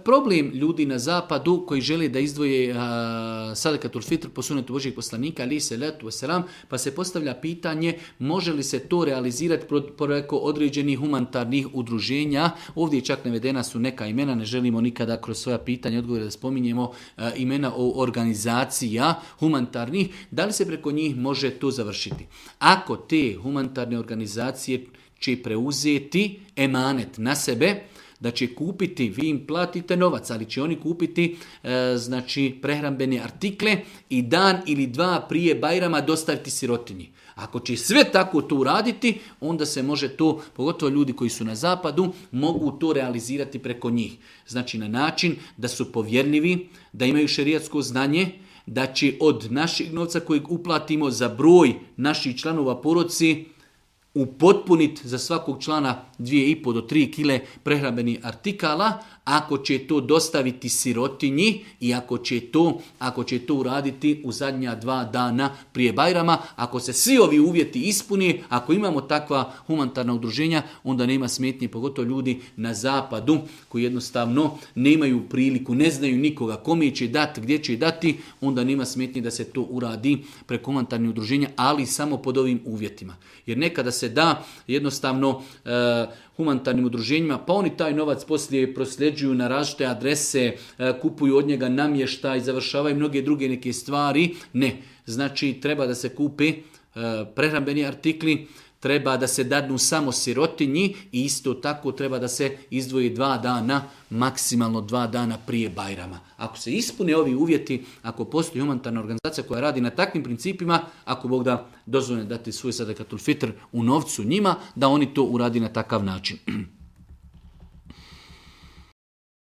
Problem ljudi na zapadu koji žele da izdvoje sadakatul fitr po sunetu Božijeg poslanika, ali se letu wasalam, pa se postavlja pitanje može li se to realizirati preko određenih humanitarnih udruženja. Ovdje čak navedena su neka imena, ne želimo nikada kroz svoja pitanja i odgovore da spominjemo imena organizacija humanitarnih. Da li se preko njih može to završiti? Ako te humanitarne organizacije će preuzeti emanet na sebe, da će kupiti, vi im platite novac, ali će oni kupiti prehrambene artikle i dan ili dva prije Bajrama dostaviti sirotinji. Ako će sve tako to uraditi, onda se može to, pogotovo ljudi koji su na zapadu, mogu to realizirati preko njih. Znači na način da su povjerljivi, da imaju šerijatsko znanje, da će od našeg novca kojeg uplatimo za broj naših članova porodice upotpuniti za svakog člana 2,5 do 3 kile prehrambenih artikala, ako će to dostaviti sirotinji i ako će to uraditi u zadnja 2 dana prije Bajrama, ako se svi ovi uvjeti ispuni, ako imamo takva humanitarna udruženja, onda nema smetnje, pogotovo ljudi na zapadu koji jednostavno nemaju priliku, ne znaju nikoga kome će dati, gdje će dati, onda nema smetnje da se to uradi preko humanitarnih udruženja, ali samo pod ovim uvjetima. Jer nekada se da jednostavno humanitarnim udruženjima, pa oni taj novac poslije prosljeđuju na različite adrese, kupuju od njega namještaj, završavaju mnoge druge neke stvari. Ne, znači treba da se kupe prehrambeni artikli, treba da se dadnu samo sirotinji i isto tako treba da se izdvoji 2 dana, maksimalno 2 dana prije Bajrama. Ako se ispune ovi uvjeti, ako postoji humanitarna organizacija koja radi na takvim principima, ako Bog da dozvoli dati svoj sadakatul fitr u novcu njima, da oni to uradi na takav način.